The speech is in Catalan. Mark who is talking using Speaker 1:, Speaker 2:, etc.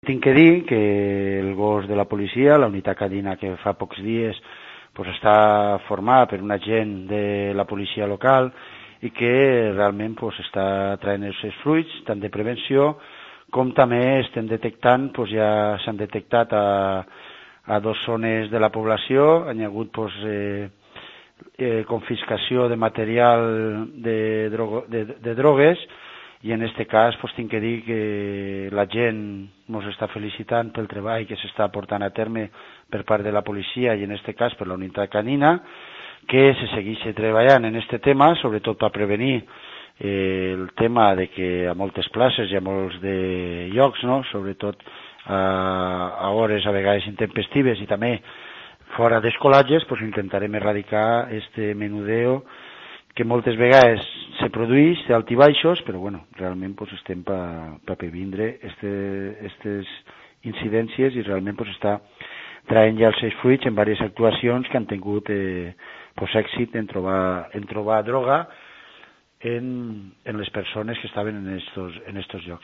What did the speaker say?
Speaker 1: tinc que dir que el gos de la policia, la unitat canina que fa pocs dies pues, està formada per un agent de la policia local i que realment pues, està traient els seus fruits, tant de prevenció com també estem detectant, pues, ja s'han detectat a 2 zones de la població, hi ha hagut pues, confiscació de material de drogues i en aquest cas pues, tinc que dir que la gent ens està felicitant pel treball que s'està portant a terme per part de la policia i en aquest cas per la unitat canina, que se segueix treballant en aquest tema, sobretot per prevenir el tema de que a moltes places i a molts de llocs, no? Sobretot a hores a vegades intempestives i també fora d'escolatges, pues intentarem erradicar este menudeo que moltes vegades se produeix d'alt i baixos, però bueno, realment pues, estem per previndre aquestes incidències i realment pues, està traient ja els seus fruits en diverses actuacions que han tingut pues, èxit en trobar droga en les persones que estaven en estos llocs.